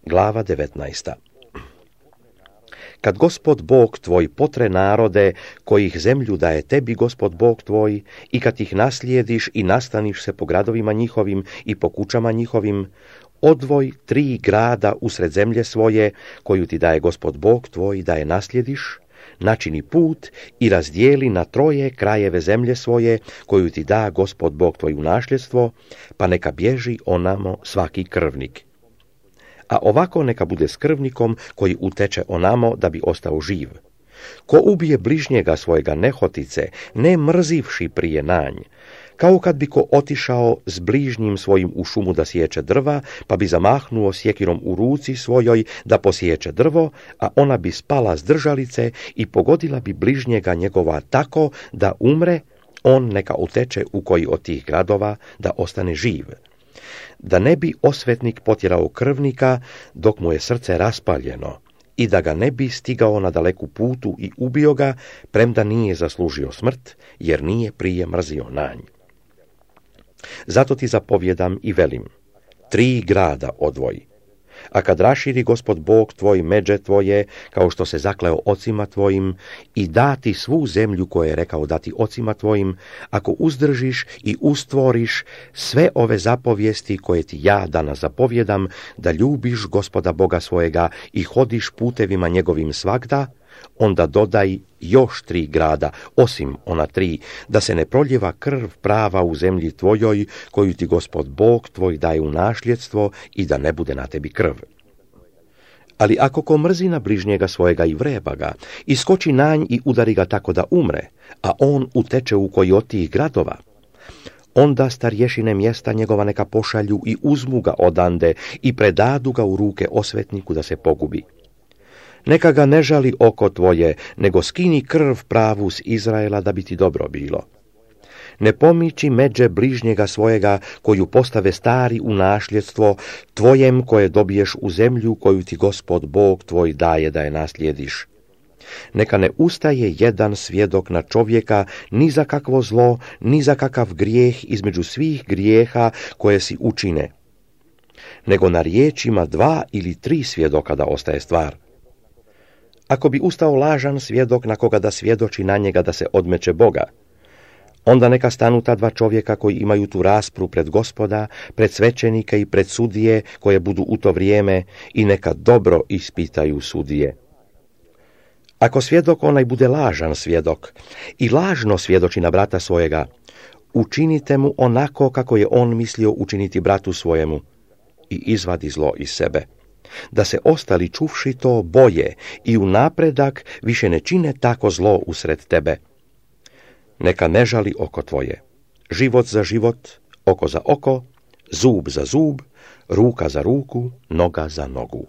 Glava 19. Kad Gospod Bog tvoj potre narode, kojih zemlju daje tebi Gospod Bog tvoj, i kad ih naslijediš i nastaniš se po gradovima njihovim i po kućama njihovim, odvoj 3 grada usred zemlje svoje, koju ti daje Gospod Bog tvoj da je naslijediš, načini put i razdijeli na 3 krajeve zemlje svoje, koju ti da Gospod Bog tvoj u nasljedstvo, pa neka bježi onamo svaki krvnik. A ovako neka bude s krvnikom koji uteče onamo da bi ostao živ. Ko ubije bližnjega svojega nehotice, ne mrzivši prije nanj, kao kad bi ko otišao s bližnjim svojim u šumu da sječe drva, pa bi zamahnuo sjekirom u ruci svojoj da posječe drvo, a ona bi spala s držalice i pogodila bi bližnjega njegova tako da umre, on neka uteče u koji od tih gradova da ostane živ. Da ne bi osvetnik potjerao krvnika dok mu je srce raspaljeno i da ga ne bi stigao na daleku putu i ubio ga, premda nije zaslužio smrt, jer nije prije mrzio nanj. Zato ti zapovjedam i velim, 3 grada odvoji. A kad raširi Gospod Bog tvoj međe tvoje, kao što se zakleo ocima tvojim, i dati svu zemlju koju je rekao dati ocima tvojim, ako uzdržiš i ustvoriš sve ove zapovijesti koje ti ja danas zapovjedam, da ljubiš Gospoda Boga svojega i hodiš putevima njegovim svagda, onda dodaj još 3 grada, osim ona 3, da se ne proljeva krv prava u zemlji tvojoj, koju ti Gospod Bog tvoj daje u nasljedstvo, i da ne bude na tebi krv. Ali ako ko mrzi na bližnjega svojega i vreba ga, iskoči na nj i udari ga tako da umre, a on uteče u koji od tih gradova, onda starješine mjesta njegova neka pošalju i uzmu ga odande i predadu ga u ruke osvetniku da se pogubi. Neka ga ne žali oko tvoje, nego skini krv pravu s Izraela da bi ti dobro bilo. Ne pomiči međe bližnjega svojega koju postave stari u nasljedstvo tvojem koje dobiješ u zemlju koju ti Gospod Bog tvoj daje da je naslijediš. Neka ne ustaje jedan svjedok na čovjeka ni za kakvo zlo, ni za kakav grijeh između svih grijeha koje si učine, nego na riječima 2 ili 3 svjedoka da ostaje stvar. Ako bi ustao lažan svjedok na koga da svjedoči na njega da se odmeće Boga, onda neka stanu ta 2 čovjeka koji imaju tu raspravu pred Gospoda, pred svećenike i pred sudije koje budu u to vrijeme, i neka dobro ispitaju sudije. Ako svjedok onaj bude lažan svjedok i lažno svjedoči na brata svojega, učinite mu onako kako je on mislio učiniti bratu svojemu i izvadi zlo iz sebe, da se ostali čuvši to boje i u napredak više ne čine tako zlo usred tebe. Neka ne žali oko tvoje, život za život, oko za oko, zub za zub, ruka za ruku, noga za nogu.